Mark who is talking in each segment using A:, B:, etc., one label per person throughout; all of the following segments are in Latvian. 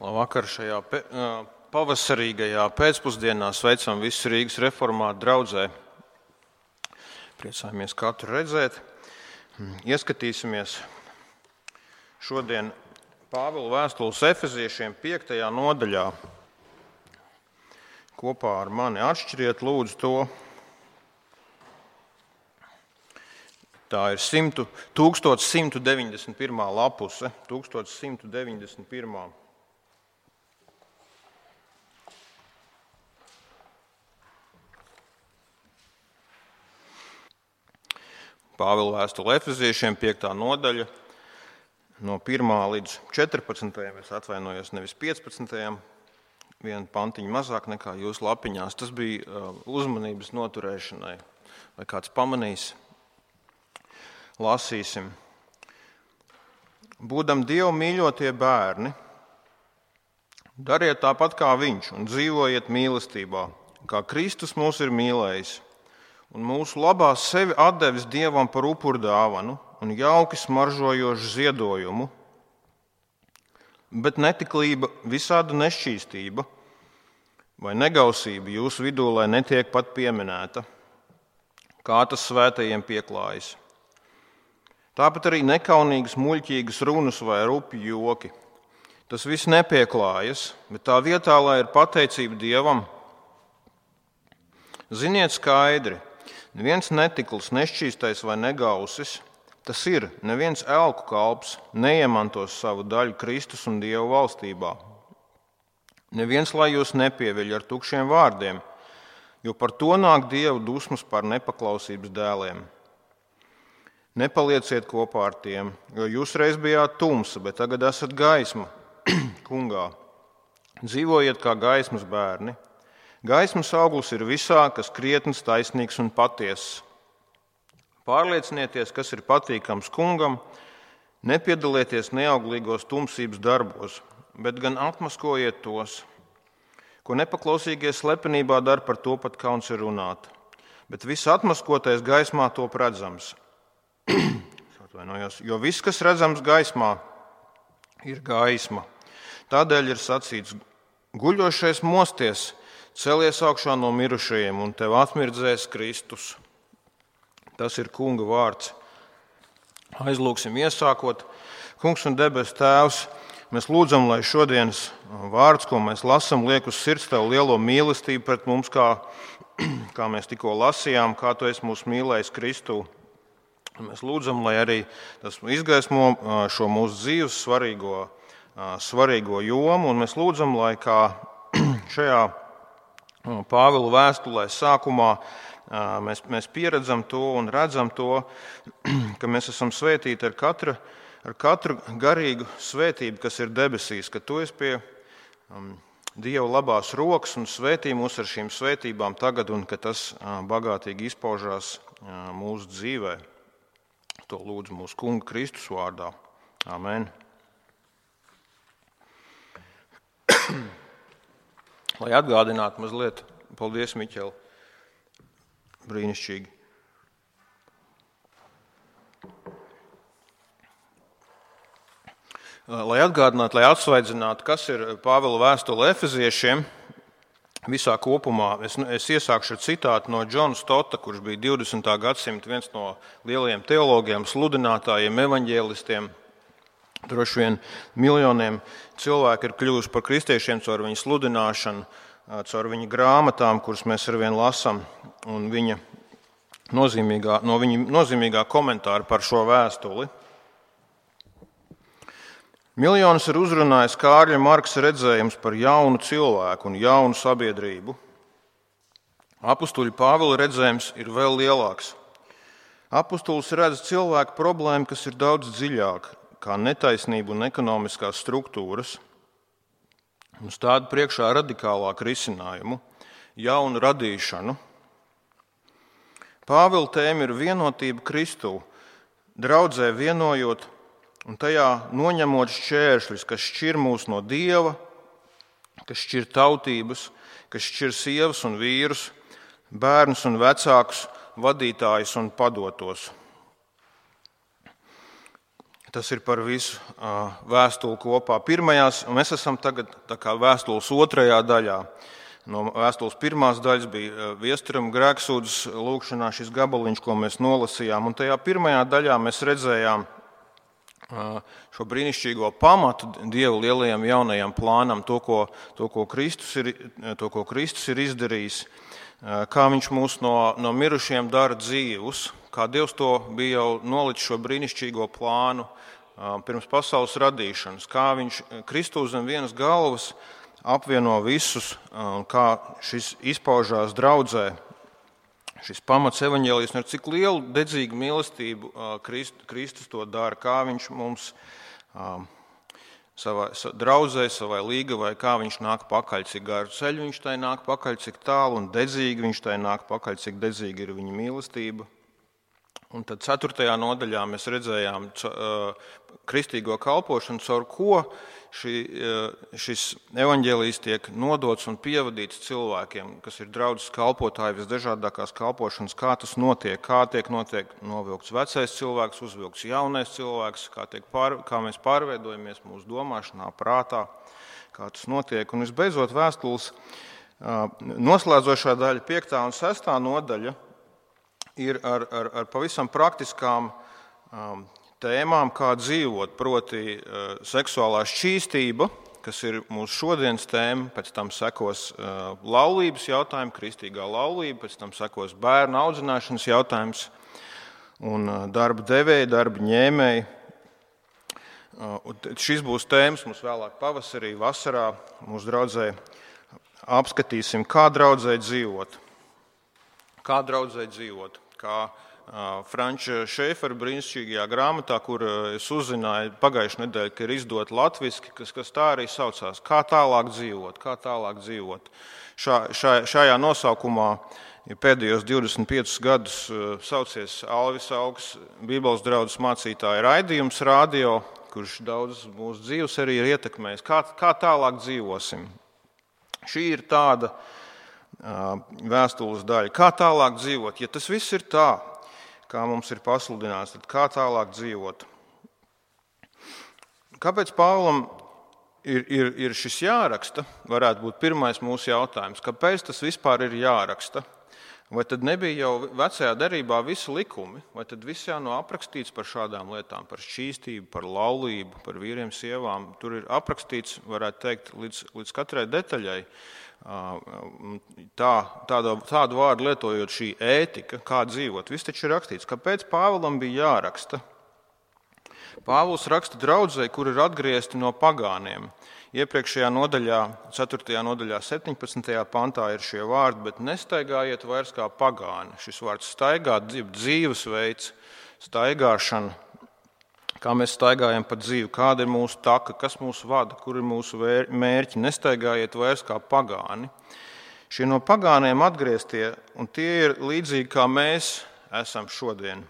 A: Labvakar, šajā pavasarīgajā pēcpusdienā sveicam visus Rīgas reformātu draudzē. Priecājamies katru redzēt. Ieskatīsimies šodien Pāvila vēstules Efeziešiem 5. nodaļā. Kopā ar mani atšķiriet lūdzu to. Tā ir 1191. lapuse. 1191. Pāvila vēstule Efeziešiem 5. nodaļa, no 1. līdz 14. Es atvainojos, nevis 15. Vienu pantiņu mazāk nekā jūsu lapiņās. Tas bija uzmanības noturēšanai. Vai kāds pamanīs? Lasīsim. Būdam Dievu mīļotie bērni, dariet tāpat kā Viņš un dzīvojiet mīlestībā, kā Kristus mūs ir mīlējis. Un mūsu labā sevi atdevis Dievam par upurdāvanu un jauki smaržojošu ziedojumu, bet netiklība, visāda nešķīstība vai negausība jūsu vidū, lai netiek pat pieminēta, kā tas svētajiem pieklājas. Tāpat arī nekaunīgas, muļķīgas runas vai rupji joki. Tas viss nepieklājas, bet tā vietā, lai ir pateicība Dievam, ziniet skaidri, neviens netikls, nešķīstais vai negausis, tas ir, neviens elku kalps neiemantos savu daļu Kristus un Dieva valstībā. Neviens, lai jūs nepieviļ ar tukšiem vārdiem, jo par to nāk Dieva dusmas par nepaklausības dēliem. Nepalieciet kopā ar tiem, jo jūs reiz bijāt tumsa, bet tagad esat gaisma kungā. Dzīvojiet kā gaismas bērni. Gaismas auglis ir visā, kas krietns, taisnīgs un patiess. Pārliecinieties, kas ir patīkams kungam, nepiedalieties neauglīgos tumsības darbos, bet gan atmaskojiet tos, ko nepaklausīgie slepenībā dara, par to pat kauns ir runāt. Bet viss atmaskotais gaismā top redzams. Jo viss, kas redzams gaismā, ir gaisma. Tādēļ ir sacīts, guļošais mosties, celies augšā no mirušajiem, un tev atmirdzēs Kristus. Tas ir kunga vārds. Aizlūksim iesākot. Kungs un debesu Tēvs, mēs lūdzam, lai šodienas vārds, ko mēs lasam, liek uz sirds tev lielo mīlestību pret mums, kā mēs tikko lasījām, kā tu esi mūs mīlējis Kristū. Mēs lūdzam, lai arī tas izgaismo šo mūsu dzīves svarīgo jomu, un mēs lūdzam, lai kā šajā Pāvila vēstulē sākumā mēs pieredzam to un redzam to, ka mēs esam svētīti ar katru garīgu svētību, kas ir debesīs, ka tu esi pie Dieva labās rokas un svētī mūs ar šīm svētībām tagad un ka tas bagātīgi izpaužās mūsu dzīvē. To lūdzu mūsu kunga Kristus vārdā. Amen. Lai atgādinātu mazliet, paldies, Miķel, brīnišķīgi. Lai atgādinātu, lai atsvaidzinātu, kas ir Pāvila vēstule Efeziešiem visā kopumā, es iesākšu ar citātu no Džona Stota, kurš bija 20. gadsimta viens no lielajiem teologiem, sludinātājiem, evaņģēlistiem. Droši vien miljoniem cilvēku ir kļuvuši par kristiešiem caur viņu sludināšanu, caur viņa grāmatām, kuras mēs arvien lasām, un viņa nozīmīgā komentāra par šo vēstuli. Miljonus ir uzrunājis Kārļa Marksa redzējums par jaunu cilvēku un jaunu sabiedrību. Apustuļa Pāvila redzējums ir vēl lielāks. Apustulis redz cilvēku problēmu, kas ir daudz dziļāka, kā netaisnība un ekonomiskās struktūras, un stāda priekšā radikālāku risinājumu, jaunu radīšanu. Pāvila tēma ir vienotība Kristū, draudzē vienojot un tajā noņemot šķēršļus, kas šķir mūs no Dieva, kas šķir tautības, kas šķir sievas un vīrus, bērnus un vecākus, vadītājus un padotos. Tas ir par visu vēstuli kopā. Mēs esam tagad tā kā vēstules otrajā daļā. No vēstules pirmās daļas bija Viesturam grēksūdzes lūgšanā šis gabaliņš, ko mēs nolasījām. Un tajā pirmajā daļā mēs redzējām šo brīnišķīgo pamatu Dieva lielajam jaunajam plānam, to, ko Kristus ir izdarījis, kā viņš mūs no mirušiem dara dzīvus, kā Dievs to bija jau nolicis šo brīnišķīgo plānu pirms pasaules radīšanas, kā viņš Kristu zem vienas galvas apvieno visus, kā šis izpaužās draudzē. Šis pamats evaņģēlijos, ar cik lielu dedzīgu mīlestību Kristus to dara, kā viņš mums savai draudzē, savai līgavai, kā viņš nāk pakaļ, cik garu ceļu viņš tai nāk pakaļ, cik tālu un dedzīgi viņš tai nāk pakaļ, cik dedzīgi ir viņa mīlestība. Un tad 4. nodaļā mēs redzējām kristīgo kalpošanu, caur ko šis evaņģēlijs tiek nodots un pievadīts cilvēkiem, kas ir draudzes kalpotāji, visdažādākās kalpošanas, kā tas notiek, kā tiek novilkts vecais cilvēks, uzvilkts jaunais cilvēks, kā mēs pārveidojamies mūsu domāšanā, prātā, kā tas notiek. Un visbeidzot vēstules noslēdzošā daļa, 5. un 6. nodaļa, ir ar pavisam praktiskām tēmām, kā dzīvot, proti seksuālā šķīstība, kas ir mūsu šodienas tēma, pēc tam sekos laulības jautājumi, kristīgā laulība, pēc tam sekos bērnu audzināšanas jautājums un darba devēji, darba ņēmēji. Šis būs tēmas mums vēlāk pavasarī, vasarā mūsu draudzē apskatīsim, kā draudzē dzīvot. Kā Franča Šēfera brīnišķīgajā grāmatā, kur es uzzināju pagājušajā nedēļā, ka ir izdota latviski, kas tā arī saucās, kā tālāk dzīvot. Šajā nosaukumā pēdējos 25 gadus saucies Alvis Augs, Bībeles draudzes mācītāja raidījums radio, kurš daudz mūsu dzīves arī ir ietekmējis. Kā tālāk dzīvosim? Šī ir tāda vēstules daļa. Kā tālāk dzīvot? Ja tas viss ir tā, kā mums ir pasludināts, tad kā tālāk dzīvot? Kāpēc Pāvilam ir šis jāraksta? Varētu būt pirmais mūsu jautājums. Kāpēc tas vispār ir jāraksta? Vai tad nebija jau vecajā derībā visi likumi? Vai tad viss jau nav aprakstīts par šādām lietām, par šķīstību, par laulību, par vīriem, sievām? Tur ir aprakstīts, varētu teikt, līdz katrai detaļai. Tādu vārdu lietojot šī ētika, kā dzīvot, viss taču ir rakstīts. Kāpēc Pāvilam bija jāraksta? Pāvils raksta draudzei, kur ir atgriezti no pagāniem. Iepriekšējā nodaļā, 4. nodaļā, 17. pantā ir šie vārdi, bet nestaigājiet vairs kā pagāni. Šis vārds staigāt, dzīvesveids, staigāšana. Kā mēs staigājam pa dzīvi, kāda ir mūsu taka, kas mūs vada, kur ir mūsu mērķi. Nestaigājiet vairs kā pagāni. Šie no pagāniem atgrieztie, un tie ir līdzīgi kā mēs esam šodien.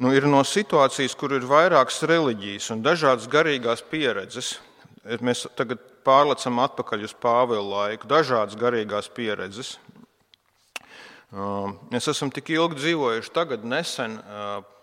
A: Ir no situācijas, kur ir vairākas reliģijas un dažādas garīgās pieredzes. Mēs tagad pārlecam atpakaļ uz Pāvila laiku, dažādas garīgās pieredzes. Mēs esam tik ilgi dzīvojuši tagad nesen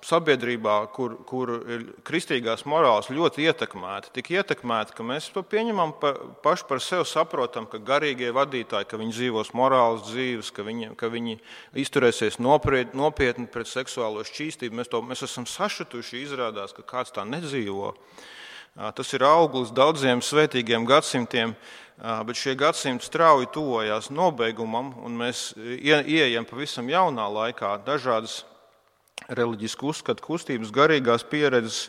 A: sabiedrībā, kur ir kristīgās morāles ļoti ietekmēta. Tik ietekmēta, ka mēs to pieņemam paši par sevi, saprotam, ka garīgie vadītāji, ka viņi dzīvos morāles dzīves, ka viņi izturēsies nopietni pret seksuālo šķīstību. Mēs esam sašutuši, izrādās, ka kāds tā nedzīvo. Tas ir auglis daudziem svētīgiem gadsimtiem, bet šie gadsimti strauji tuvojās nobeigumam, un mēs ieejam pavisam jaunā laikā dažādas reliģisku uzskatu kustības, garīgās pieredzes,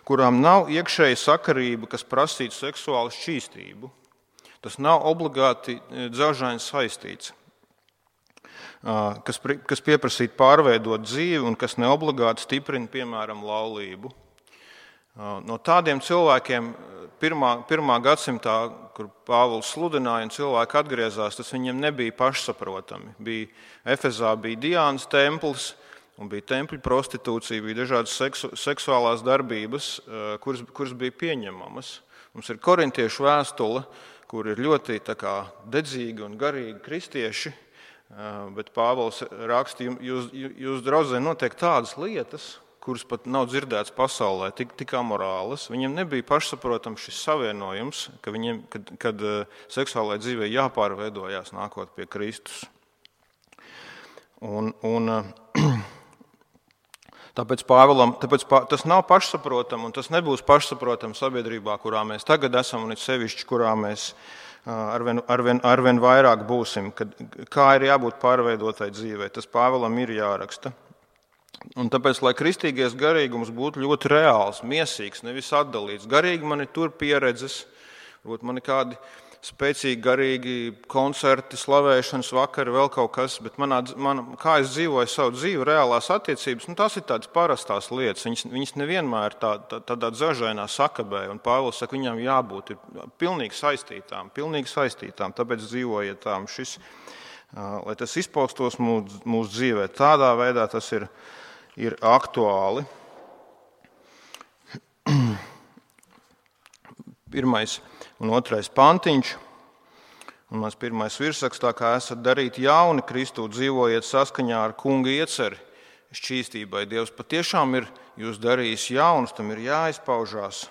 A: kurām nav iekšēja sakarība, kas prasītu seksuālu šķīstību. Tas nav obligāti dzelžaini saistīts, kas pieprasītu pārveidot dzīvi un kas neobligāti stiprina, piemēram, laulību. No tādiem cilvēkiem pirmā gadsimtā, kur Pāvils sludināja un cilvēki atgriezās, tas viņiem nebija pašsaprotami. Efezā bija Diānas templis un bija tempļu prostitūcija, bija dažādas seksuālās darbības, kuras bija pieņemamas. Mums ir korintiešu vēstule, kur ir ļoti dedzīgi un garīgi kristieši, Bet Pāvils raksta, jūs draudzē notiek tādas lietas, kuras pat nav dzirdētas pasaulē, tik amorālas. Viņiem nebija pašsaprotams šis savienojums, kad seksuālajai dzīvei jāpārveidojās nākot pie Kristus. Tāpēc tas nav pašsaprotami, un tas nebūs pašsaprotami sabiedrībā, kurā mēs tagad esam, un it sevišķi, kurā mēs arvien vairāk būsim, kā ir jābūt pārveidotai dzīvei. Tas Pāvilam ir jāraksta. Un tāpēc, lai kristīgais garīgums būtu ļoti reāls, miesīgs, nevis atdalīts. Garīgi man ir tur pieredzes, varbūt man ir kādi spēcīgi garīgi koncerti, slavēšanas vakari, vēl kaut kas, bet kā es dzīvoju savu dzīvi, reālās attiecības, tās ir tādas parastās lietas. Viņas nevienmēr tādā dzažainā sakabē, un Pāvils saka, viņām jābūt pilnīgi saistītām, tāpēc dzīvojiet tām šis, lai tas izpaustos mūsu dzīvē. Tādā veidā tas ir aktuāli. Pirmais un otrais pantiņš, un mans pirmais virsrakstā, kā esat darīti jauni Kristū, dzīvojiet saskaņā ar kunga ieceri šķīstībai. Dievs patiešām ir jūs darījis jaunus, tam ir jāizpaužās.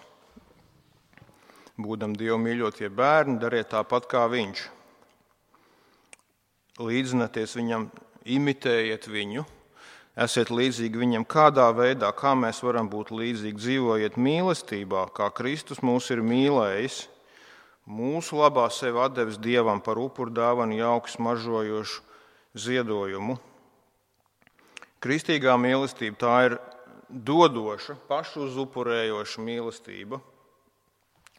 A: Būdam Dievu mīļotie bērni, dariet tāpat kā viņš. Līdzināties viņam, imitējiet viņu, esiet līdzīgi viņam kādā veidā, kā mēs varam būt līdzīgi, dzīvojiet mīlestībā, kā Kristus mūs ir mīlējis, mūsu labā sevi atdevis Dievam par upuru dāvanu jauki smaržojošu ziedojumu. Kristīgā mīlestība tā ir dodoša, pašuzupurējoša mīlestība.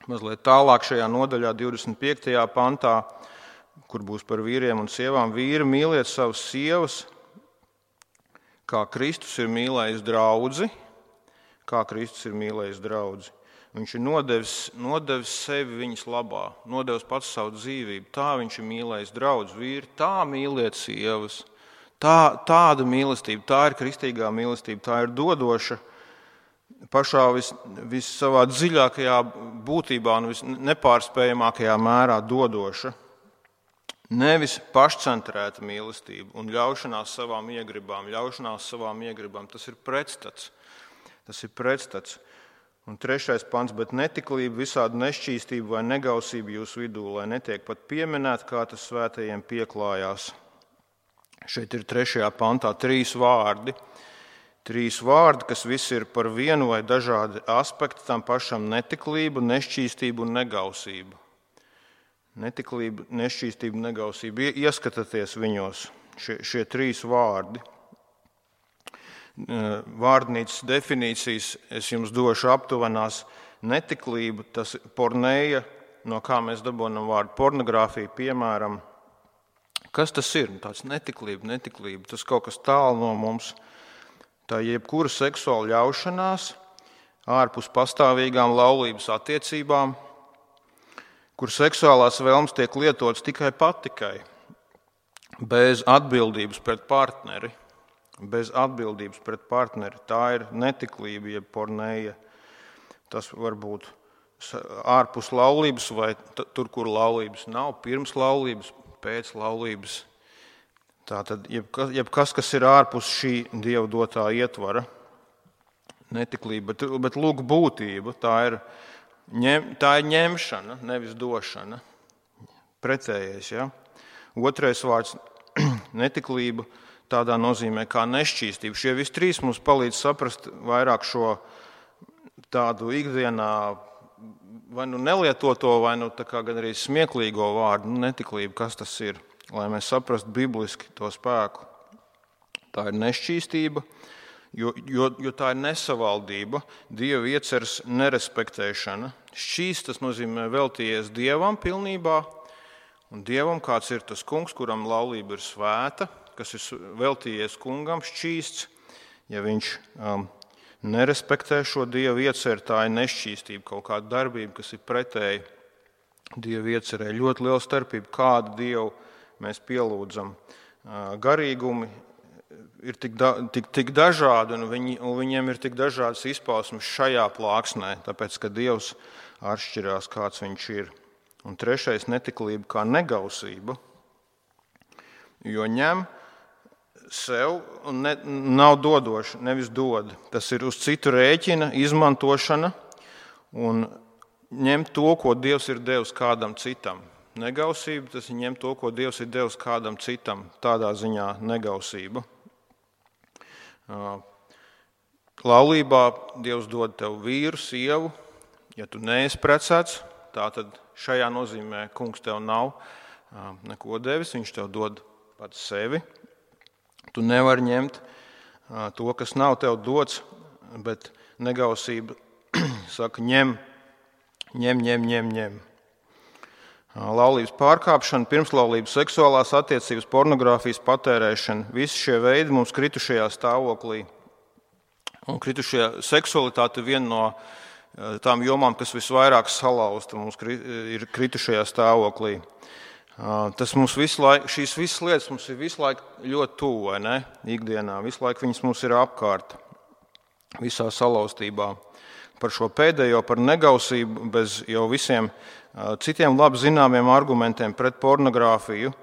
A: Mazliet tālāk šajā nodaļā 25. pantā, kur būs par vīriem un sievām, vīri mīliet savas sievas, kā Kristus ir mīlējis draudzi, Viņš ir nodevis sevi viņas labā, nodevis pats savu dzīvību. Tā viņš ir mīlējis draudzi, vīri, tā mīliet sievas. Tāda mīlestība, tā ir kristīgā mīlestība, tā ir dodoša, pašā savā dziļākajā būtībā un visnepārspējamākajā mērā dodoša. Nevis pašcentrēta mīlestība un ļaušanās savām iegribām. Tas ir pretstats. Un 3. pants, bet netiklība, visāda nešķīstība vai negausība jūsu vidū, lai netiek pat pieminēta, kā tas svētajiem pieklājās. Šeit ir 3. pantā 3 vārdi. 3 vārdi, kas visi ir par vienu vai dažādi aspekti tam pašam netiklību, nešķīstību un negausību. Netiklība, nešķīstība, negausība. Ieskatieties viņos, šie 3 vārdi. Vārdnīcas definīcijas es jums došu aptuvenās. Netiklība, tas porneja, no kā mēs dabūjam vārdu pornogrāfija, piemēram. Kas tas ir? Tāds netiklība, tas kaut kas tālu no mums. Tā jebkura seksuāla ļaušanās ārpus pastāvīgām laulības attiecībām, kur seksuālās vēlmes tiek lietotas tikai patikai, bez atbildības pret partneri. Tā ir netiklība, jeb porneja. Tas var būt ārpus laulības vai tur, kur laulības nav, pirms laulības, pēc laulības. Tātad jebkas, kas ir ārpus šī Dieva dotā ietvara, netiklība, bet lūk būtība, tā ir ņemšana, nevis došana. Pretējais, ja? 2. vārds netiklība tādā nozīmē kā nešķīstība. Šie visi 3 mums palīdz saprast vairāk šo tādu ikdienā vai nelietoto, vai tā kā gan arī smieklīgo vārdu, netiklība, kas tas ir, lai mēs saprastu bibliski to spēku. Tā ir nešķīstība, jo tā ir nesavaldība, Dieva ieceres nerespektēšana. Šķīsts, tas nozīmē veltījies Dievam pilnībā, un Dievam kāds ir tas kungs, kuram laulība ir svēta, kas ir veltījies kungam, šķīsts. Ja viņš nerespektē šo Dieva ieceri, tā ir nešķīstība, kaut kāda darbība, kas ir pretēji Dieva iecerē. Ļoti liela starpība, kādu Dievu mēs pielūdzam. Garīgumi ir tik dažādi, un viņiem ir tik dažādas izpausmes šajā plāksnē, tāpēc, ka Dievs atšķirās, kāds viņš ir. Un 3. netiklība kā negausība. jo ņem sev un nav dodoši, nevis dod. Tas ir uz citu rēķina, izmantošana un ņemt to, ko Dievs ir devis kādam citam. Negausība, tas ir ņemt to, ko Dievs ir devis kādam citam. Tādā ziņā negausība. Laulībā Dievs dod tev vīru, sievu. Ja tu neesi precēts, tātad šajā nozīmē kungs tev nav neko devis, viņš tev dod pats sevi. Tu nevari ņemt to, kas nav tev dots, bet negausība saka ņem. Laulības pārkāpšana, pirmslaulības seksuālās attiecības, pornogrāfijas patērēšana, visi šie veidi mums kritušajā stāvoklī. Un kritušajā seksualitāte viena no tām jomām, kas visvairāk salauzta mums ir kritušajā stāvoklī. Tas mums šīs visas lietas mums ir visu laiku ļoti tuvu, vai ne? Ikdienā, visu laiku viņas mums ir apkārt, visā salauztībā. Par šo pēdējo, par negausību, bez jau visiem citiem labi zināmiem argumentiem pret pornogrāfiju.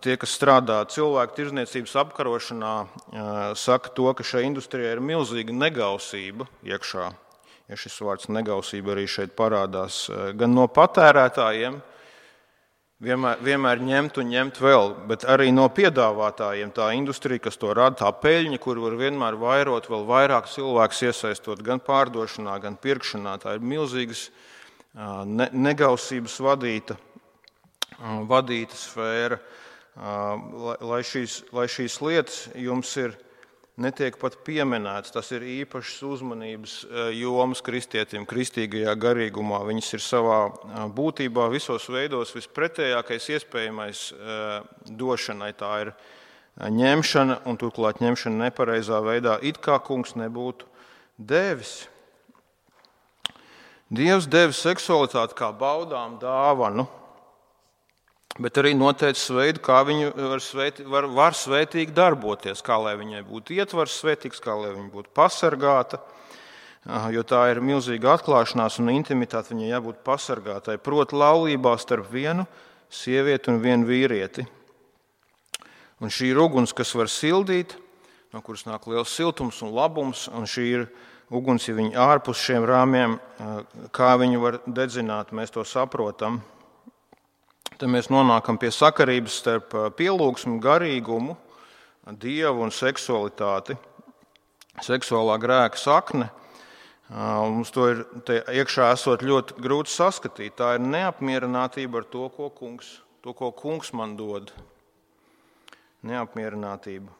A: Tie, kas strādā cilvēku tirdzniecības apkarošanā, saka to, ka šai industrijai ir milzīga negausība iekšā. Ja šis vārds negausība arī šeit parādās, gan no patērētājiem, vienmēr ņemt vēl, bet arī no piedāvātājiem. Tā industrija, kas to rada, tā peļņa, kur var vienmēr vairot, vēl vairāk cilvēkus iesaistot gan pārdošanā, gan pirkšanā. Tā ir milzīgas negausības vadīta sfēra. Lai šīs lietas jums netiek pat pieminētas, tas ir īpašas uzmanības jomas kristietim, kristīgajā garīgumā. Viņas ir savā būtībā visos veidos vispretējākais iespējamais došanai. Tā ir ņemšana, un turklāt ņemšana nepareizā veidā, it kā kungs nebūtu devis. Dievs devis seksualitāti kā baudām dāvanu, bet arī noteicis veidu, kā viņu var svētīgi darboties, kā lai viņai būtu ietvars svētīgs, kā lai viņa būtu pasargāta, jo tā ir milzīga atklāšanās un intimitāte, viņai jābūt pasargātai. Proti laulībā starp vienu sievieti un vienu vīrieti. Un šī ir uguns, kas var sildīt, no kuras nāk liels siltums un labums, un šī ir uguns, ja viņi ārpus šiem rāmjiem, kā viņu var dedzināt, mēs to saprotam. Tad mēs nonākam pie sakarības starp pielūgsmu, garīgumu, Dievu un seksualitāti. Seksuālā grēka sakne. Mums to ir iekšā esot ļoti grūti saskatīt. Tā ir neapmierinātība ar to, ko kungs man dod. Neapmierinātība.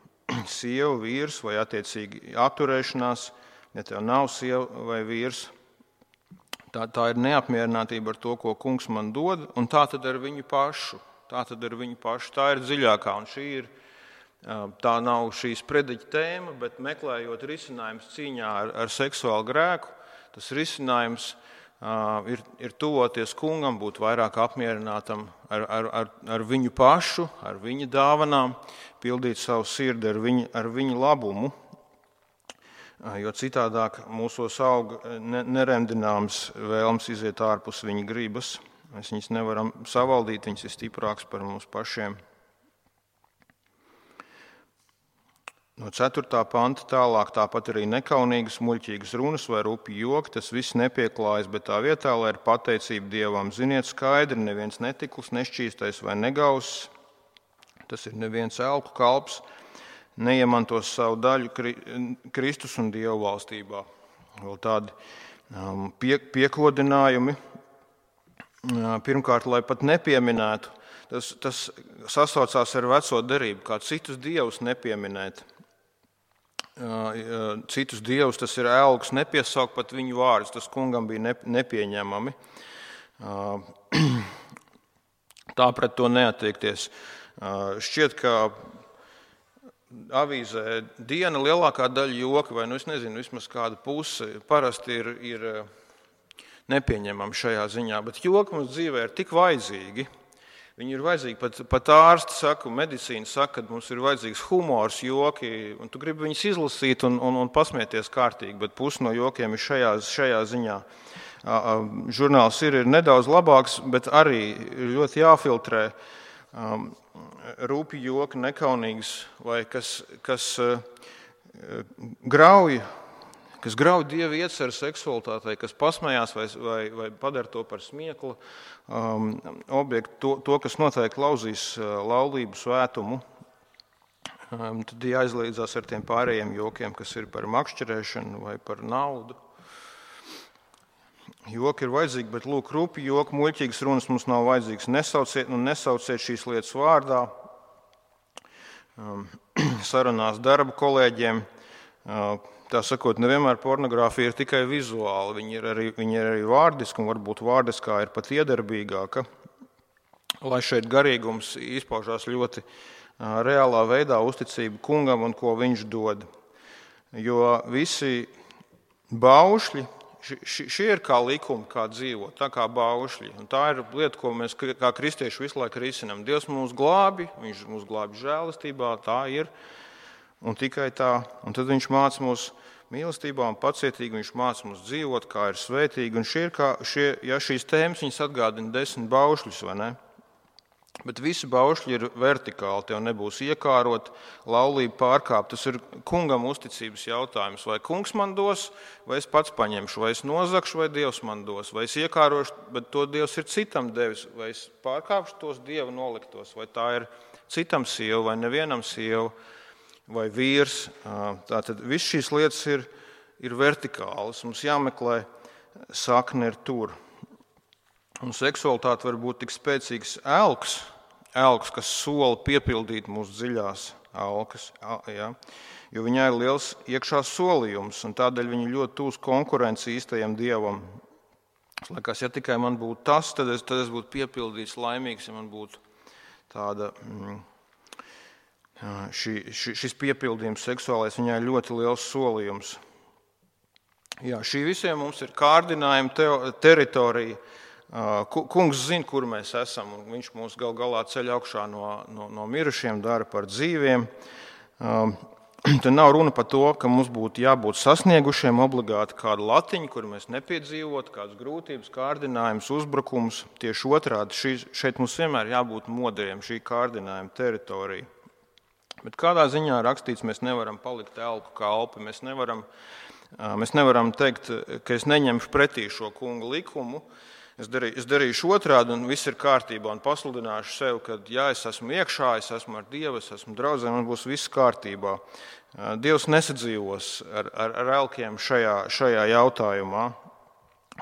A: Sieva, vīrs vai attiecīgi atturēšanās, ja tev nav sieva vai vīrs. Tā ir neapmierinātība ar to, ko kungs man dod, un tā tad ar viņu pašu. Tā ir dziļākā, un tā nav šīs prediķa tēma, bet meklējot risinājums cīņā ar seksuālu grēku, tas risinājums ir tuvoties kungam, būt vairāk apmierinātam ar viņu pašu, ar viņa dāvanām, pildīt savu sirdi ar viņa labumu. Jo citādāk mūsos aug neremdināms vēlms iziet ārpus viņa gribas. Mēs viņus nevaram savaldīt, viņas ir stiprāks par mums pašiem. No 4. panta tālāk tāpat arī nekaunīgas, muļķīgas runas vai rupi joki, tas viss nepieklājas, bet tā vietā, lai ir pateicība Dievam. Ziniet skaidri, neviens netikls, nešķīstais vai negauss, tas ir neviens elku kalps, neiemantos savu daļu Kristus un Dievu valstībā. Vēl tādi piekodinājumi. Pirmkārt, lai pat nepieminētu, tas sasaucās ar veco derību, kā citus dievus nepieminēt. Citus dievus, tas ir elks, nepiesaukt pat viņu vārdus, tas kungam bija nepieņemami. Tā pret to neattiekties. Šķiet, ka avīzē Diena lielākā daļa joki, vai es nezinu, vismaz kāda puse, parasti ir nepieņemama šajā ziņā, bet joki mums dzīvē ir tik vajadzīgi. Viņi ir vajadzīgi, pat ārsti saka, medicīna saka, ka mums ir vajadzīgs humors, joki, un tu gribi viņus izlasīt un pasmieties kārtīgi, bet pusi no jokiem ir šajā ziņā. Žurnāls ir nedaudz labāks, bet arī ļoti jāfiltrē. rupi joki, nekaunīgas, vai kas grauj Dieva ieceru seksualitātei, kas pasmējās vai padara to par smiekla objektu, to, kas noteikti lauzīs laulību svētumu, tad jāizlīdzās ar tiem pārējiem jokiem, kas ir par makšķerēšanu vai par naudu. Joki ir vajadzīgi, bet lūk, rupi joki, muļķīgas runas mums nav vajadzīgs. Nesauciet šīs lietas vārdā. Sarunās darba kolēģiem. Tā sakot, nevienmēr pornogrāfija ir tikai vizuāla. Viņa ir arī vārdiska, un varbūt vārdiskā ir pat iedarbīgāka. Lai šeit garīgums izpaužās ļoti reālā veidā, uzticība kungam un ko viņš dod. Jo visi baušļi, šie ir kā likumi, kā dzīvot, tā kā baušļi. Un tā ir lieta, ko mēs kā kristieši visu laiku risinām. Dievs mūs glābi, viņš mūs glābi žēlastībā, tā ir. Un tikai tā. Un tad viņš māca mūs mīlestībā un pacietīgi, viņš māca mūs dzīvot, kā ir svētīgi. Un šīs tēmas viņas atgādina 10 baušļus, vai ne? Bet visi baušļi ir vertikāli, tev nebūs iekārot, laulību pārkāpt. Tas ir kungam uzticības jautājums. Vai kungs man dos, vai es pats paņemšu, vai es nozakšu, vai Dievs man dos, vai es iekārošu, bet to Dievs ir citam devis, vai es pārkāpšu tos Dieva noliktos, vai tā ir citam sieva, vai nevienam sieva, vai vīrs. Tātad viss šīs lietas ir vertikālas. Mums jāmeklē sakne ir tur. Un seksualitāte var būt tik spēcīgs elks, kas sola piepildīt mūsu dziļās alkas, ja? Jo viņai ir liels iekšā solījums, un tādēļ viņa ļoti tūs konkurenci īstajam Dievam. Es liekas, ja tikai man būtu tas, tad es būtu piepildīts, laimīgs, ja man būtu tāda, šis piepildījums seksuālais, viņai ir ļoti liels solījums. Jā, šī visiem mums ir kārdinājuma teritorija. Kungs zina, kur mēs esam, un viņš mūs gal galā ceļ augšā no mirušiem, dara par dzīviem. Te nav runa par to, ka mums būtu jābūt sasniegušiem obligāti kādu latiņu, kur mēs nepiedzīvotu, kādas grūtības, kārdinājums, uzbrukums. Tieši otrādi, šeit mums vienmēr jābūt modriem, šī kārdinājuma teritorija. Bet kādā ziņā rakstīts, mēs nevaram palikt elku kalpi, mēs nevaram teikt, ka es neņemšu pretī šo kunga likumu. Es darīšu otrādi, un viss ir kārtībā, un pasludināšu sev, ka jā, es esmu iekšā, es esmu ar Dievu, es esmu draudzē, un būs viss kārtībā. Dievs nesadzīvos ar elkiem šajā jautājumā,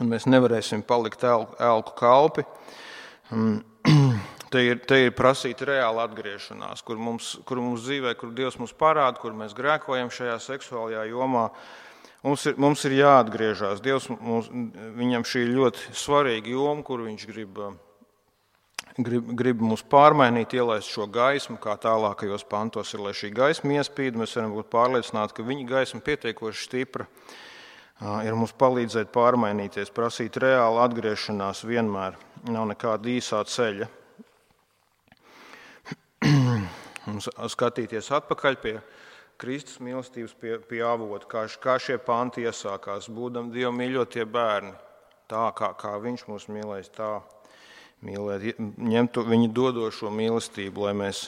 A: un mēs nevarēsim palikt elku kalpi. Te ir prasīta reāla atgriešanās, kur mums dzīvē, kur Dievs mums parāda, kur mēs grēkojam šajā seksuālajā jomā. Mums ir jāatgriežas. Dievs viņam šī ir ļoti svarīga joma, kur viņš grib mūs pārmainīt, ielaist šo gaismu, kā tālākajos pantos ir, lai šī gaisma iespīd. Mēs varam būt pārliecināti, ka viņa gaisma pietiekoši stipra ir mums palīdzēt pārmainīties, prasīt reālu atgriešanās vienmēr. Nav nekāda īsā ceļa. Mums skatīties atpakaļ pie Kristus mīlestības pie avota, kā šie panti iesākās, būdam Dievu mīļotie bērni, tā kā viņš mūs mīlēs, tā mīlēt, ņemt viņa dodošo mīlestību, lai mēs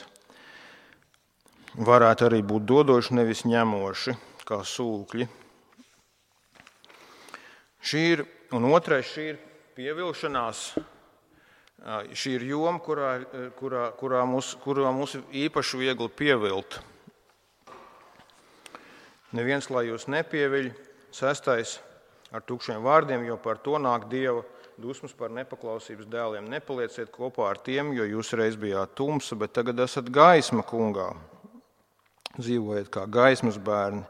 A: varētu arī būt dodoši, nevis ņemoši, kā sūkļi. Un otrais, šī ir pievilšanās, šī ir joma, kurā mūs īpaši viegli pievilt. Neviens, lai jūs nepieviļ, 6. ar tukšiem vārdiem, jo par to nāk Dieva dusmas par nepaklausības dēliem. Nepalieciet kopā ar tiem, jo jūs reiz bijāt tumsa, bet tagad esat gaisma kungā. Dzīvojiet kā gaismas bērni.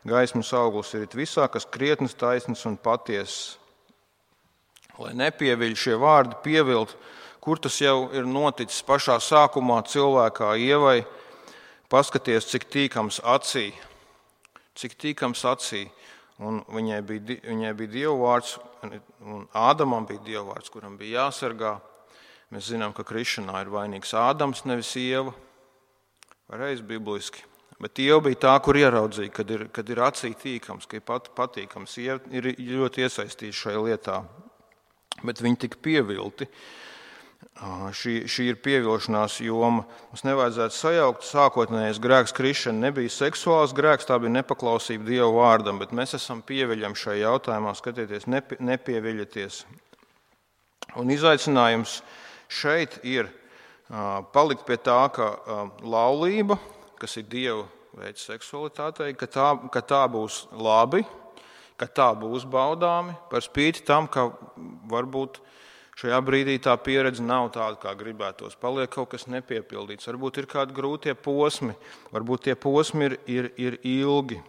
A: Gaismas auglis ir visā, kas krietnes, taisnas un patiesas. Lai nepieviļ šie vārdi pievilt, kur tas jau ir noticis pašā sākumā cilvēkā Ievai, paskaties, cik tīkams acī. Cik tīkams acī, un viņai bija Dieva vārds, un Ādamam bija Dieva vārds, kuram bija jāsargā. Mēs zinām, ka krišanā ir vainīgs Ādams, nevis Ieva, reiz bibliski. Bet Ieva bija tā, kur ieraudzīja, kad ir acī tīkams, ka ir patīkams. Ieva ir ļoti iesaistīta šajā lietā, bet viņi tika pievilti. Šī ir pievilšanās joma. Mums nevajadzētu sajaukt, sākotnējais grēks krišana nebija seksuāls grēks, tā bija nepaklausība Dieva vārdam, bet mēs esam pieviļami šajā jautājumā, skatieties, nepieviļaties. Un izaicinājums šeit ir palikt pie tā, ka laulība, kas ir Dieva veids seksualitātei, ka tā būs labi, ka tā būs baudāmi, par spīti tam, ka varbūt šajā brīdī tā pieredze nav tāda, kā gribētos. Paliek kaut kas nepiepildīts. Varbūt ir kādi grūtie posmi, varbūt tie posmi ir ilgi.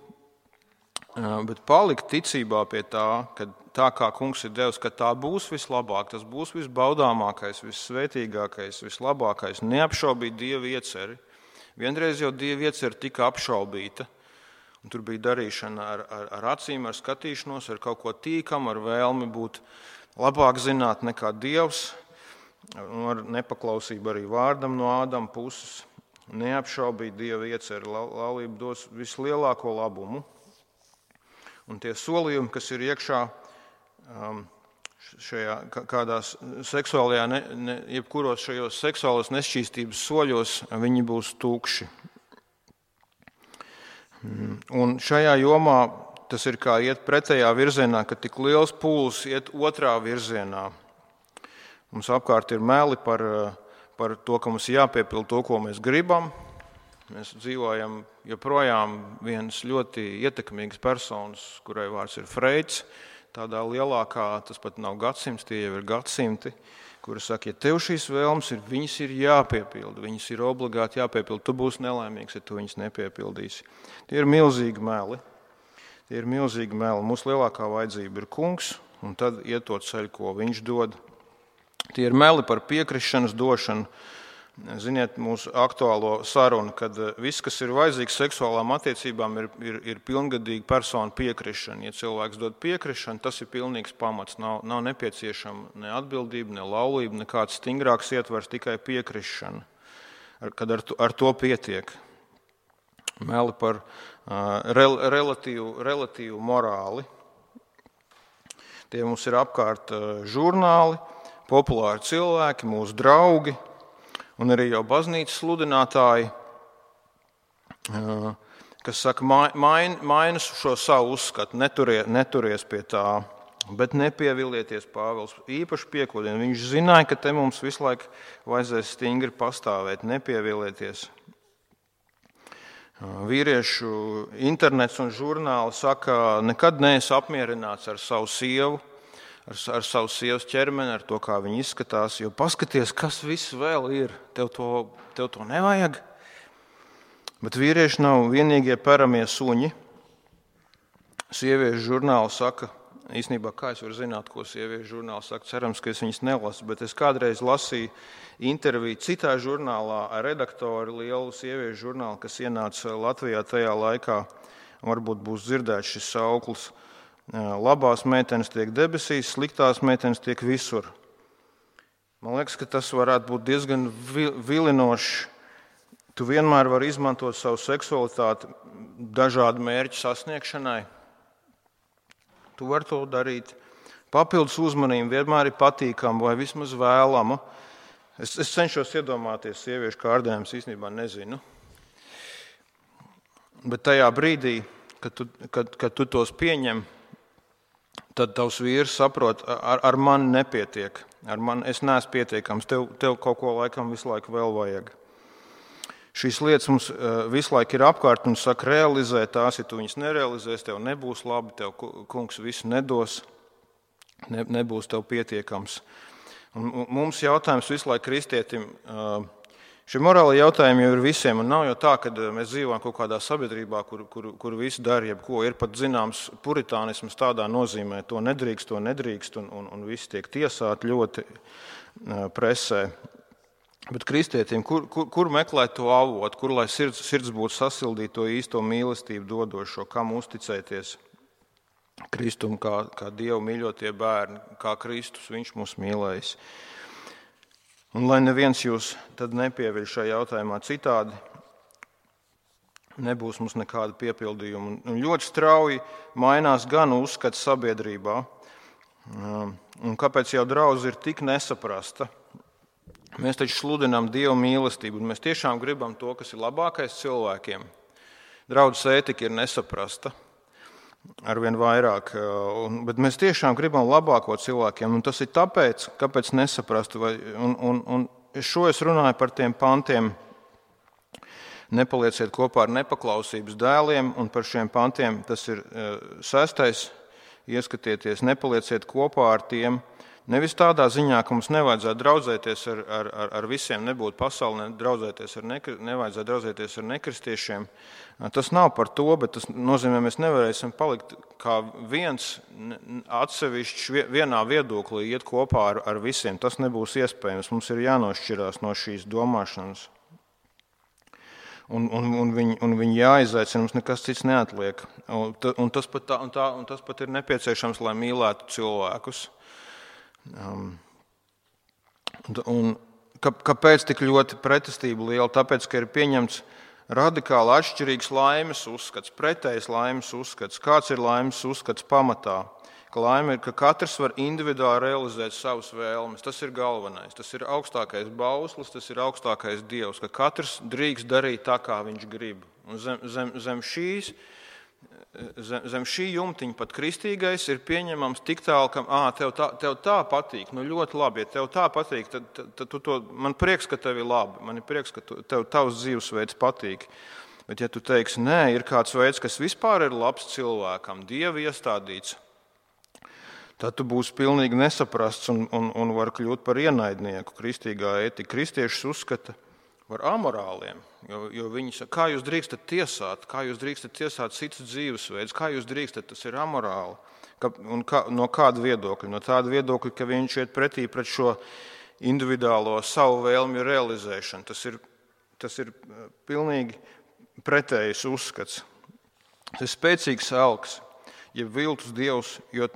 A: Bet palikt ticībā pie tā, ka tā kā kungs ir devis, ka tā būs vislabāk, tas būs visbaudāmākais, vissvētīgākais, vislabākais, neapšaubīt Dieva ieceri. Vienreiz jau Dieva ieceri tika apšaubīta, un tur bija darīšana ar acīm, ar skatīšanos, ar kaut ko tīkam, ar vēlmi būt labāk zināt nekā Dievs, ar nepaklausību arī vārdam no Ādama puses. Neapšaubīt Dieva ieceri, laulība dos vislielāko labumu. Un tie solījumi, kas ir iekšā šajā kādās seksuālajā, jebkuros šajos seksuālas nešķīstības soļos, viņi būs tukši. Un šajā jomā tas ir kā iet pretējā virzienā, ka tik liels pūls iet otrā virzienā. Mums apkārt ir meli par to, ka mums jāpiepilda to, ko mēs gribam. Mēs dzīvojam joprojām viens ļoti ietekmīgs personas, kurai vārds ir Freids, tādā lielākā, tas pat nav gadsimts, tie jau ir gadsimti, kuri saka, ja tev šīs vēlmes ir, viņas ir jāpiepilda, viņas ir obligāti jāpiepilda, tu būsi nelaimīgs, ja tu viņas nepiepildīsi. Tie ir milzīgi meli. Tie ir milzīgi meli. Mūsu lielākā vajadzība ir kungs, un tad iet to ceļu, ko viņš dod. Tie ir meli par piekrišanas došanu. Ziniet, mūsu aktuālo sarunu, kad viss, kas ir vajadzīgs seksuālām attiecībām, ir pilngadīga persona piekrišana. Ja cilvēks dod piekrišanu, tas ir pilnīgs pamats. Nav nepieciešama ne atbildība, ne laulība, nekāds stingrāks ietvers, tikai piekrišana, kad ar to pietiek. Meli par relatīvu morāli. Tie mums ir apkārt žurnāli, populāri cilvēki, mūsu draugi un arī jau baznīcas sludinātāji, kas saka, maina šo savu uzskatu, neturies pie tā, bet nepievilieties. Pāvils īpaši piekodina. Viņš zināja, ka te mums visu laiku vajadzēs stingri pastāvēt, nepievilieties. Vīriešu internets un žurnāli saka, nekad neesi apmierināts ar savu sievu, ar savu sievas ķermeni, ar to, kā viņa izskatās, jo paskaties, kas viss vēl ir, tev to nevajag. Bet vīrieši nav vienīgie peramie suņi. Sieviešu žurnāli saka, īstenībā, kā es varu zināt, ko sieviešu žurnāli saka, cerams, ka es viņas nelasu, bet es kādreiz lasīju interviju citā žurnālā ar redaktoru, lielu sieviešu žurnālu, kas ienāca Latvijā tajā laikā. Varbūt būs dzirdēts šis sauklis. Labās meitenes tiek debesīs, sliktās meitenes tiek visur. Man liekas, ka tas varētu būt diezgan vilinoši. Tu vienmēr vari izmantot savu seksualitāti dažādu mērķu sasniegšanai. Tu vari to darīt. Papildus uzmanība vienmēr ir patīkama vai vismaz vēlama. Es cenšos iedomāties sieviešu kārdinājumus, īstenībā nezinu. Bet tajā brīdī, kad tu tos pieņem, tad tavs vīrs saprot, ar mani nepietiek. Es neesmu pietiekams, tev kaut ko laikam visu laiku vēl vajag. Šīs lietas mums visu laiku ir apkārt un saka, realizē tās, ja tu viņas nerealizēsi, tev nebūs labi, tev kungs visu nedos, nebūs tev pietiekams. Un mums jautājums visu laiku kristietim, šie morāli jautājumi jau ir visiem, un nav jau tā, ka mēs dzīvojam kaut kādā sabiedrībā, kur visi dara jebko. Ir pat zināms puritānisms tādā nozīmē, to nedrīkst, un visi tiek tiesāti ļoti presē. Bet kristietim, kur meklēt to avotu, kur lai sirds būtu sasildīta to īsto mīlestību dodošo, kam uzticēties Kristum kā Dievu mīļotie bērni, kā Kristus viņš mūs mīlējis. Un lai neviens jūs tad nepieviļ šajā jautājumā citādi, nebūs mums nekāda piepildījuma. Un ļoti strauji mainās gan uzskats sabiedrībā, un kāpēc jau draudze ir tik nesaprasta. Mēs taču sludinām Dieva mīlestību, un mēs tiešām gribam to, kas ir labākais cilvēkiem. Draudzes ētika ir nesaprasta arvien vairāk, bet mēs tiešām gribam labāko cilvēkiem, un tas ir tāpēc, kāpēc nesaprast. Un šo es runāju par tiem pantiem, nepalieciet kopā ar nepaklausības dēliem, un par šiem pantiem tas ir 6. Ieskatieties, nepalieciet kopā ar tiem, nevis tādā ziņā, ka mums nevajadzētu draudzēties ar visiem, nebūt pasaulē, nevajadzētu draudzēties ar nekristiešiem. Tas nav par to, bet tas nozīmē, mēs nevarēsim palikt kā viens atsevišķs vienā viedoklī, iet kopā ar visiem. Tas nebūs iespējams. Mums ir jānošķirās no šīs domāšanas. Un viņi jāizaicina, mums nekas cits neatliek. Un tas pat ir nepieciešams, lai mīlētu cilvēkus. Un kāpēc tik ļoti pretestība liela? Tāpēc, ka ir pieņemts radikāli atšķirīgs laimes uzskats, pretējs laimes uzskats. Kāds ir laimes uzskats pamatā? Ka laime ir, ka katrs var individuāli realizēt savas vēlmes. Tas ir galvenais. Tas ir augstākais bauslis, tas ir augstākais Dievs, ka katrs drīkst darīt tā, kā viņš grib. Un zem šī jumtiņa pat kristīgais ir pieņemams tik tālu, ka tev tā patīk, ļoti labi, ja tev tā patīk, tad man prieks, ka tev ir labi, man ir prieks, ka tev tavs dzīvesveids patīk. Bet ja tu teiksi, nē, ir kāds veids, kas vispār ir labs cilvēkam, Dieva iestādīts, tad tu būsi pilnīgi nesaprasts un var kļūt par ienaidnieku. Kristīgā ētika kristiešus uzskata par amorāliem, jo viņi saka, kā jūs drīkstat tiesāt citus dzīvesveidus, kā jūs drīkstat, tas ir amorāli. No kāda viedokļa? No tāda viedokļa, ka viņš iet pretī pret šo individuālo savu vēlmju realizēšanu. Tas ir pilnīgi pretējs uzskats. Tas ir spēcīgs elks, jeb viltus dievs, jo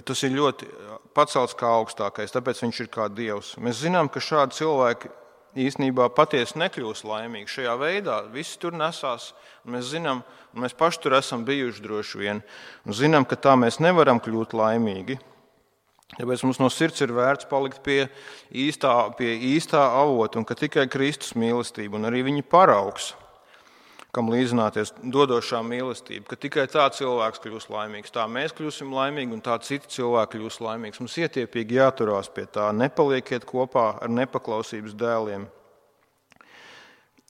A: tas ir ļoti pacelts kā augstākais, tāpēc viņš ir kā dievs. Mēs zinām, ka šādi cilvēki īstenībā patiesi nekļūs laimīgi. Šajā veidā visi tur nesās, un mēs zinām, un mēs paši tur esam bijuši droši vien, un zinām, ka tā mēs nevaram kļūt laimīgi. Tāpēc mums no sirds ir vērts palikt pie īstā avota, un ka tikai Kristus mīlestība un arī viņa paraugs, kam līdzināties dodošā mīlestība, ka tikai tā cilvēks kļūs laimīgs, tā mēs kļūsim laimīgi un tā citi cilvēki kļūs laimīgs. Mums ietiepīgi jāturās pie tā, nepalieciet kopā ar nepaklausības dēliem.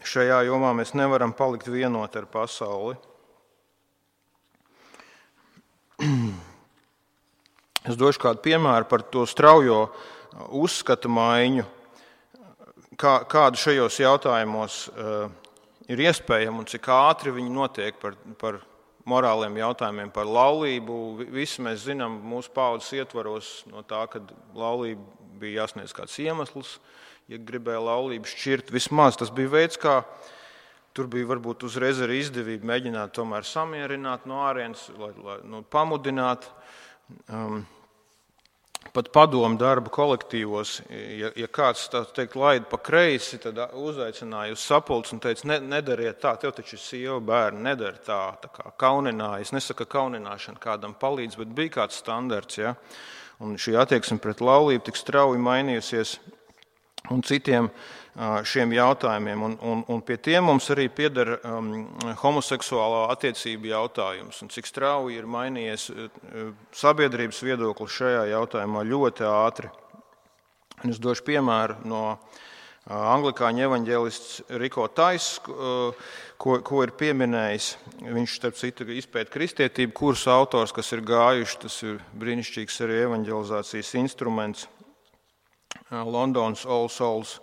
A: Šajā jomā mēs nevaram palikt vienoti ar pasauli. Es došu kādu piemēru par to straujo uzskata maiņu, kādu šajos jautājumos ir iespējama un cik ātri viņi notiek par morāliem jautājumiem, par laulību. Visi mēs zinām mūsu paaudzes ietvaros no tā, kad laulība bija jāsniedz kāds iemesls, ja gribēja laulību šķirt. Vismaz tas bija veids, kā tur bija varbūt uzreiz arī izdevība mēģināt tomēr samierināt no ārienes, lai pamudināt. Pat padomu darba kolektīvos, ja kāds laida pa kreisi, tad uzaicināja uz sapulci un teica, nedariet tā, tev taču ir sieva, bērni, nedari tā kā kaunināja. Es nesaku, ka kaunināšana kādam palīdz, bet bija kāds standarts. Ja? Un šī attieksme pret laulību tik strauji mainījusies un citiem šiem jautājumiem. Un pie tiem mums arī pieder homoseksuālā attiecība jautājums. Un cik strauji ir mainījies sabiedrības viedoklis šajā jautājumā ļoti ātri. Un es došu piemēru no anglikāņu evaņģēlists Riko Tais, ko ir pieminējis. Viņš, starp citu, izpēta kristietību kursu autors, kas ir gājuši. Tas ir brīnišķīgs arī evaņģelizācijas instruments. Londonas All Souls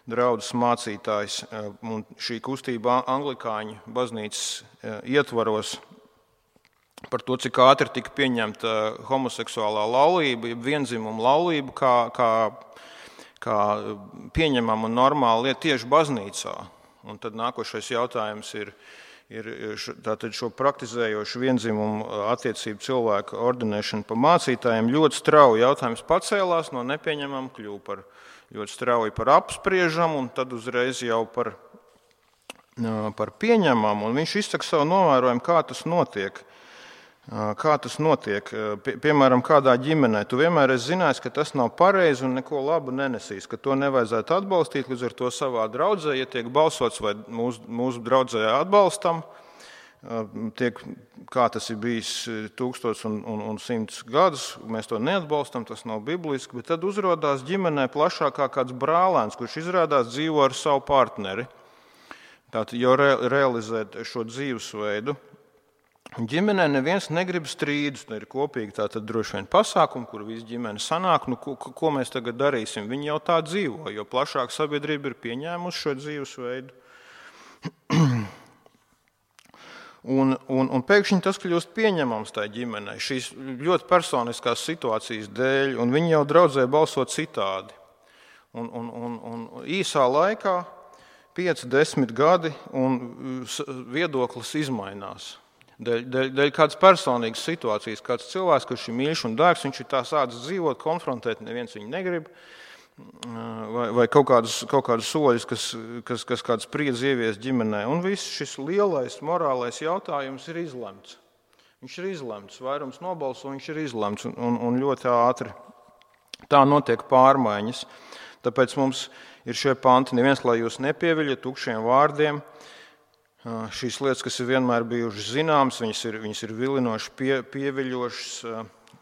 A: draudzes mācītājs, un šī kustība anglikāņu baznīcas ietvaros par to, cik ātri tika pieņemta homoseksuālā laulība, jeb vienzimuma laulība, kā pieņemama un normāla lieta tieši baznīcā. Un tad nākošais jautājums ir tātad šo praktizējošu vienzimumu attiecību cilvēku ordinēšanu pa mācītājiem. Ļoti strauji jautājums pacēlās, no nepieņemama kļuva par ļoti strauji par apspriežam un tad uzreiz jau par pieņemamu. Un viņš izsaka savu novērojumu, kā tas notiek. Kā tas notiek? Piemēram, kādā ģimenē tu vienmēr esi zinājis, ka tas nav pareizi un neko labu nenesīs, ka to nevajadzētu atbalstīt. Līdz ar to savā draudzē, ja tiek balsots vai mūsu draudzē atbalstam, kā tas ir bijis 1100 gadus, mēs to neatbalstam, tas nav bibliski, bet tad uzrādās ģimenē plašākā kāds brālēns, kurš izrādās dzīvo ar savu partneri. Tātad jau realizēt šo dzīvesveidu. Ģimenē neviens negrib strīdus, ir kopīgi tātad droši vien pasākumi, kur visi ģimene sanāk, ko mēs tagad darīsim. Viņi jau tā dzīvo, jo plašāk sabiedrība ir pieņēmusi šo dzīvesveidu. Un pēkšņi tas kļūst pieņemams tai ģimenei, šīs ļoti personiskās situācijas dēļ, un viņi jau draudzē balso citādi. Un īsā laikā, 5-10 gadi, un viedoklis izmainās. Dēļ kādas personīgas situācijas, kāds cilvēks, kurš ir mīļš un dārgs, viņš ir tā sācis dzīvot, konfrontēt, neviens viņu negrib, vai kaut kādus soļus, kas kādu spriedzi ievies ģimenē. Un viss šis lielais morālais jautājums ir izlemts. Viņš ir izlemts, vairums nobalso, viņš ir izlemts, un ļoti ātri. Tā notiek pārmaiņas. Tāpēc mums ir šie panti, neviens, lai jūs nepieviļat tukšiem vārdiem. Šīs lietas, kas ir vienmēr bijušas zināmas, viņas ir vilinošas, pieviļošas,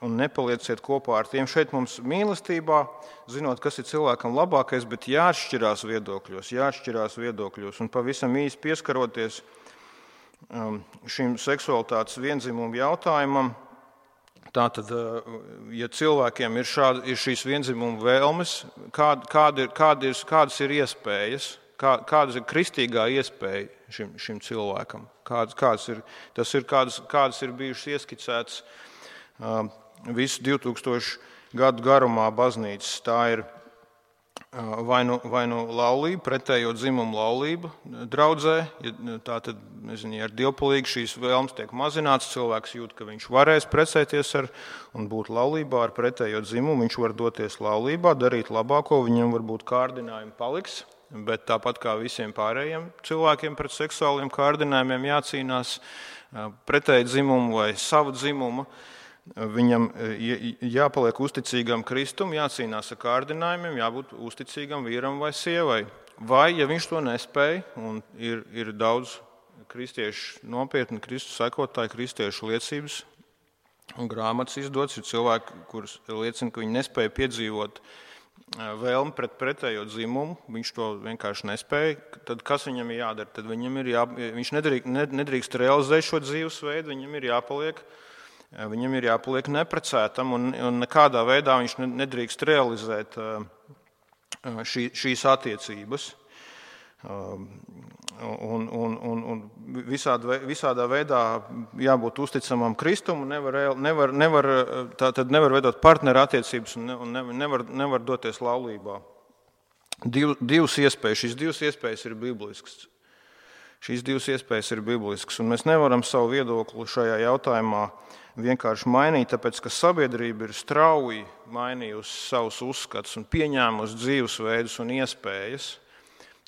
A: un nepalieciet kopā ar tiem. Šeit mums mīlestībā, zinot, kas ir cilvēkam labākais, bet jāatšķirās viedokļos, un pavisam īsi pieskaroties šim seksualitātes viendzimumu jautājumam. Tātad, ja cilvēkiem ir šīs viendzimumu vēlmes, kādas ir iespējas? Kāda ir kristīgā iespēja šim cilvēkam? Kādas ir bijušas ieskicētas visu 2000 gadu garumā baznīcas? Tā ir vai nu laulība, pretējo dzimumu laulība draudzē. Tātad, ar dievpalīgi šīs vēlmes tiek mazināts. Cilvēks jūt, ka viņš varēs precēties un būt laulībā ar pretējo dzimumu. Viņš var doties laulībā, darīt labāko, viņam varbūt kārdinājumi paliks. Bet tāpat kā visiem pārējiem cilvēkiem pret seksuāliem kārdinājumiem jācīnās pretēji dzimumu vai savu dzimumu, viņam jāpaliek uzticīgam Kristum, jācīnās ar kārdinājumiem, jābūt uzticīgam vīram vai sievai. Vai, ja viņš to nespēj, un ir daudz kristiešu nopietni Kristus sekotāji, kristiešu liecības un grāmatas izdots, ir cilvēki, kurus liecina, ka viņi nespēja piedzīvot vēlmi pret pretējo dzimumu, viņš to vienkārši nespēja, tad kas viņam ir jādara? Tad viņš nedrīkst realizēt šo dzīvesveidu, viņam ir jāpaliek neprecētam, un nekādā veidā viņš nedrīkst realizēt šīs attiecības. Un visādā veidā jābūt uzticamam Kristum, nevar veidot partneru attiecības un nevar doties laulībā. Šīs divas iespējas ir bibliskas. Un mēs nevaram savu viedokli šajā jautājumā vienkārši mainīt, tāpēc, ka sabiedrība ir strauji mainījusi savus uzskatus un pieņēmusi dzīvesveidus un iespējas.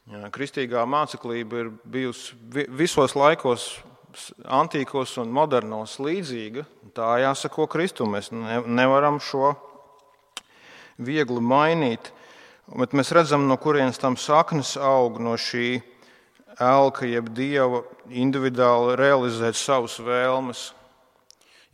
A: Kristīgā māceklība ir bijusi visos laikos, antīkos un modernos līdzīga. Tā jāsako Kristum. Mēs nevaram šo viegli mainīt. Bet mēs redzam, no kurienes tam saknes aug, no šī elka, jeb dieva individuāli realizēt savas vēlmes.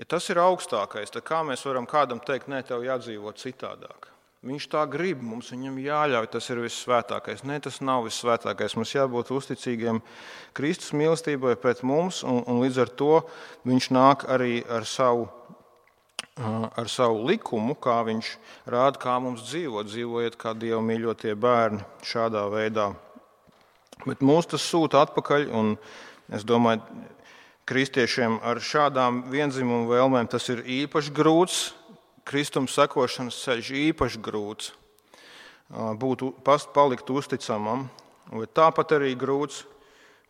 A: Ja tas ir augstākais, tad kā mēs varam kādam teikt, nē, tev jādzīvot citādāk? Viņš tā grib, mums viņam jāļauj, tas ir vissvētākais. Nē, tas nav vissvētākais. Mums jābūt uzticīgiem Kristus mīlestībai pret mums, un līdz ar to viņš nāk arī ar savu likumu, kā viņš rāda, kā mums dzīvot. Dzīvojiet kā Dieva mīļotie bērni šādā veidā. Bet mūs tas sūta atpakaļ, un es domāju, kristiešiem ar šādām viendzimumu vēlmēm tas ir īpaši grūts. Kristum sekošanas ceļš īpaši grūts, palikt uzticamam, bet tāpat arī grūts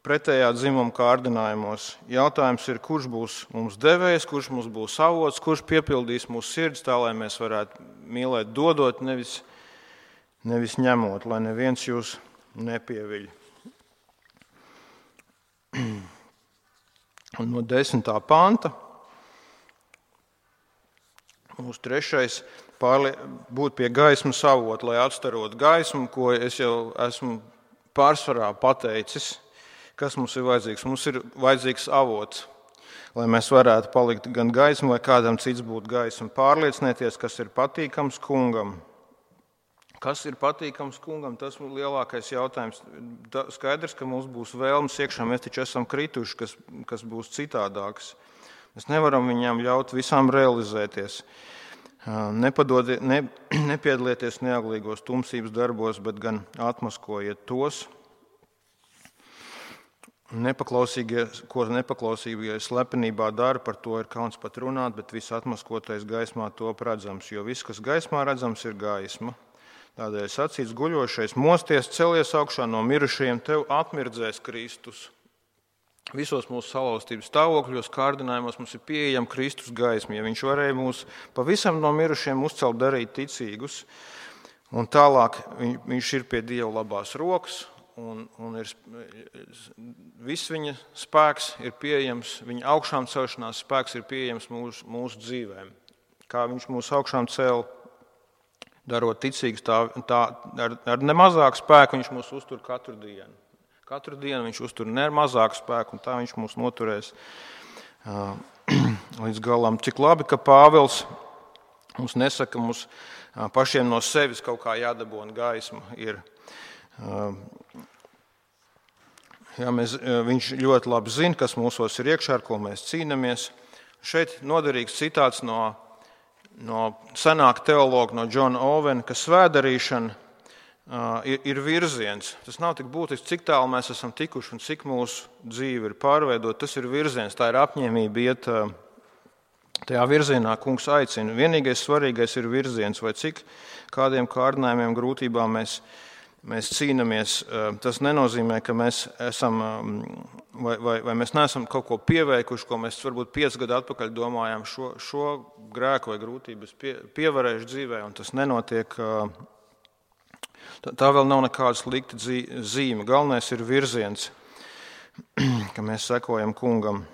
A: pretējā dzimuma kārdinājumos. Jautājums ir, kurš būs mums devējs, kurš mums būs avots, kurš piepildīs mūsu sirds tā, lai mēs varētu mīlēt dodot, nevis ņemot, lai neviens jūs nepieviļ. Un no 10. panta. Mūsu trešais būt pie gaismas avota, lai atstarotu gaismu, ko es jau esmu pārsvarā pateicis, kas mums ir vajadzīgs. Mums ir vajadzīgs avots, lai mēs varētu palikt gan gaismu, lai kādam cits būtu gaisma. Pārliecinieties, kas ir patīkams kungam. Kas ir patīkams kungam, tas ir lielākais jautājums. Skaidrs, ka mums būs vēlmes iekšā, mēs taču esam krituši, kas būs citādāks. Mēs nevaram viņām ļaut visām realizēties. Nepiedalieties neauglīgos tumsības darbos, bet gan atmaskojiet tos. Ko nepaklausīgie slepenībā dara, par to ir kauns pat runāt, bet viss atmaskotais gaismā top redzams, jo viss, kas gaismā redzams, ir gaisma. Tādēļ sacīts guļošais, mosties, celies augšā no mirušajiem, tev atmirdzēs Kristus. Visos mūsu salauztības stāvokļos, kārdinājumos mums ir pieejama Kristus gaisma. Ja viņš varēja mūs pavisam no mirušiem uzcelt, darīt ticīgus, un tālāk viņš ir pie Dieva labās rokas, un viss viņa spēks ir pieejams, viņa augšām celšanās spēks ir pieejams mūsu dzīvēm. Kā viņš mūs augšām cēl, darot ticīgus, ar nemazāku spēku viņš mūs uztur katru dienu. Katru dienu viņš uztur nemazāku spēku, un tā viņš mūs noturēs līdz galam. Cik labi, ka Pāvils mums nesaka, mums pašiem no sevis kaut kā jādabūna gaisma ir. Viņš ļoti labi zina, kas mūsos ir iekšā, ar ko mēs cīnāmies. Šeit noderīgs citāts no senāka teologa, no Džona Ovena, ka svētdarīšana ir virziens. Tas nav tik būtisks, cik tālu mēs esam tikuši un cik mūsu dzīve ir pārveidota. Tas ir virziens, tā ir apņēmība iet tajā virzienā, kungs aicina. Vienīgais svarīgais ir virziens, vai cik kādiem kārdinājumiem, grūtībām mēs cīnāmies. Tas nenozīmē, ka mēs esam, vai mēs neesam kaut ko pieveikuši, ko mēs varbūt 5 gadu atpakaļ domājām, šo grēku vai grūtības pievarējuši dzīvē, un tas nenotiek. Tā vēl nav nekāda slikta zīme. Galvenais ir virziens, ka mēs sekojam kungam.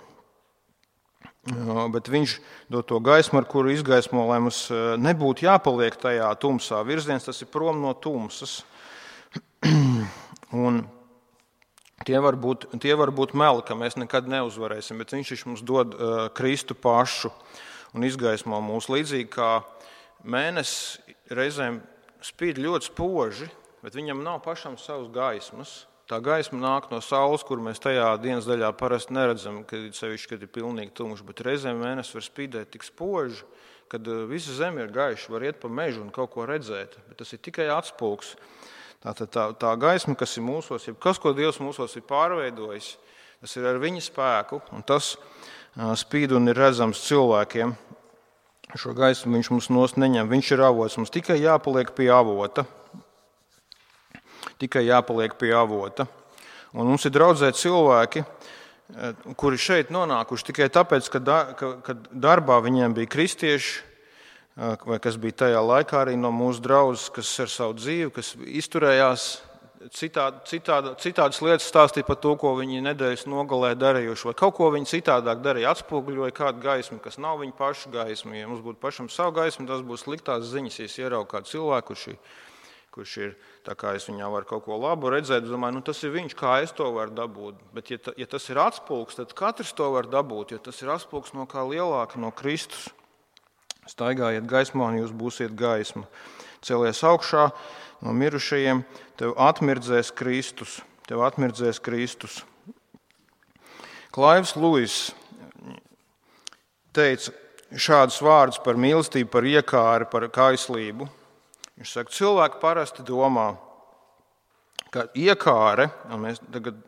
A: Bet viņš dod to gaismu, ar kuru izgaismo, lai mums nebūtu jāpaliek tajā tumsā. Virziens tas ir prom no tumsas. Un tie var būt meli, ka mēs nekad neuzvarēsim, bet viņš mums dod Kristu pašu un izgaismo mūs līdzīgi kā mēnesis reizēm spīd ļoti spoži, bet viņam nav pašam savas gaismas. Tā gaisma nāk no saules, kur mēs tajā dienas daļā parasti neredzam, kad ir pilnīgi tumšs, bet reizēm mēnesis var spīdēt tik spoži, kad visa zeme ir gaiša, var iet pa mežu un kaut ko redzēt, bet tas ir tikai atspulgs. Tā gaisma, kas ir mūsos, kas, ko Dievs mūsos ir pārveidojis, tas ir ar viņa spēku, un tas spīd un ir redzams cilvēkiem. Šo gaismu viņš mums nost neņem, viņš ir avots, mums tikai jāpaliek pie avota. Un mums ir draudzē cilvēki, kuri šeit nonākuši tikai tāpēc, ka darbā viņiem bija kristieši, vai kas bija tajā laikā arī no mūsu draudzes, kas ar savu dzīvi, kas izturējās citādas lietas, stāstīja par to, ko viņi nedēļas nogalē darījuši, vai kaut ko viņi citādāk darīja, atspoguļoja kādu gaismu, kas nav viņa paša gaisma. Ja mums būtu pašam savu gaismu, tas būs sliktās ziņas, ja es ieraugu kādu cilvēku, kurš ir, tā kā es viņā varu kaut ko labu redzēt, es domāju, tas ir viņš, kā es to varu dabūt. Bet ja tas ir atspulgs, tad katrs to var dabūt, jo tas ir atspulgs no kā lielāka, no Kristus. Staigājiet gaismā un jūs būsiet gaisma. Celies augšā no mirušajiem, tev atmirdzēs Kristus. Klaivs Luis teica šādus vārdus par mīlestību, par iekāri, par kaislību. Viņš saka, cilvēki parasti domā, ka iekāre, un mēs tagad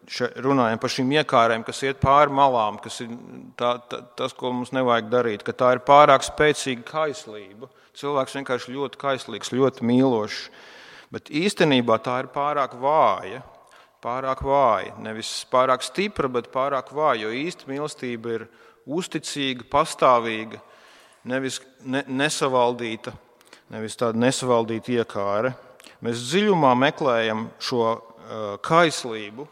A: runājam par šīm iekārēm, kas iet pāri malām, kas ir tas, ko mums nevajag darīt, ka tā ir pārāk spēcīga kaislība. Cilvēks vienkārši ļoti kaislīgs, ļoti mīlošs, bet īstenībā tā ir pārāk vāja. Nevis pārāk stipra, bet pārāk vāja, jo īsta mīlestība ir uzticīga, pastāvīga, nevis nesavaldīta, nevis tāda nesavaldīta iekāre. Mēs dziļumā meklējam šo kaislību,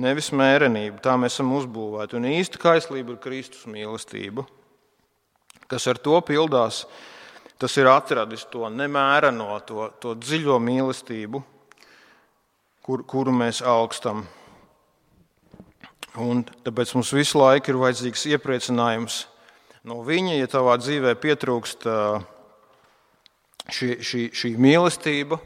A: nevis mērenību. Tā mēs esam uzbūvēti. Un īsta kaislība ir Kristus mīlestība. kas ar to pildās, tas ir atradis to nemēreno, to dziļo mīlestību, kuru mēs augstam. Un tāpēc mums visu laiku ir vajadzīgs iepriecinājums no viņa, ja tavā dzīvē pietrūkst šī mīlestība,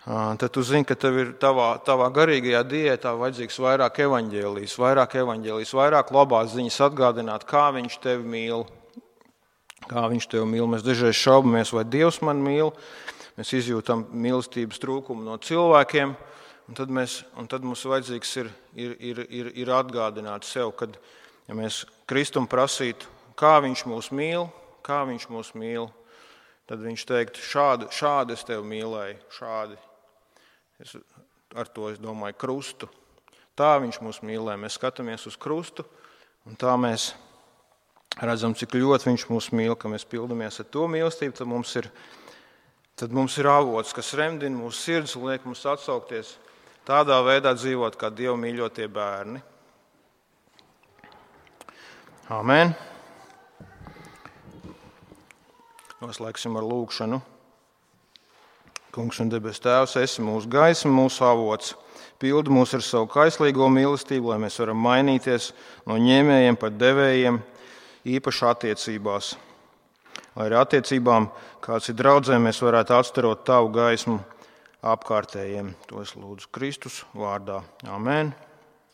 A: tad tu zini, ka tev ir tavā garīgajā diētā vajadzīgs vairāk evaņģēlijas, vairāk labās ziņas atgādināt, kā viņš tevi mīl. Mēs dažreiz šaubamies, vai Dievs man mīl, mēs izjūtam mīlestības trūkumu no cilvēkiem, un tad mums vajadzīgs ir atgādināt sev, kad ja mēs Kristum prasītu, kā viņš mūs mīl, tad viņš teiktu, šādi es tevi mīlēju, šādi. Ar to es domāju krustu. Tā viņš mūs mīlē. Mēs skatāmies uz krustu, un tā mēs redzam, cik ļoti viņš mūs mīl, ka mēs pildamies ar to mīlestību, tad mums ir avots, kas remdina mūsu sirdis un liek mums atsaukties tādā veidā dzīvot, kā Dieva mīļotie bērni. Āmen. Noslēgsim ar lūgšanu. Kungs un debes Tēvs, esi mūsu gaisma, mūsu avots. Pildi mūs ar savu kaislīgo mīlestību, lai mēs varam mainīties no ņēmējiem par devējiem, īpaši attiecībās. Lai arī attiecībām, kāds ir draudzē, mēs varētu atstarot tavu gaismu apkārtējiem. To es lūdzu Kristus vārdā. Āmen.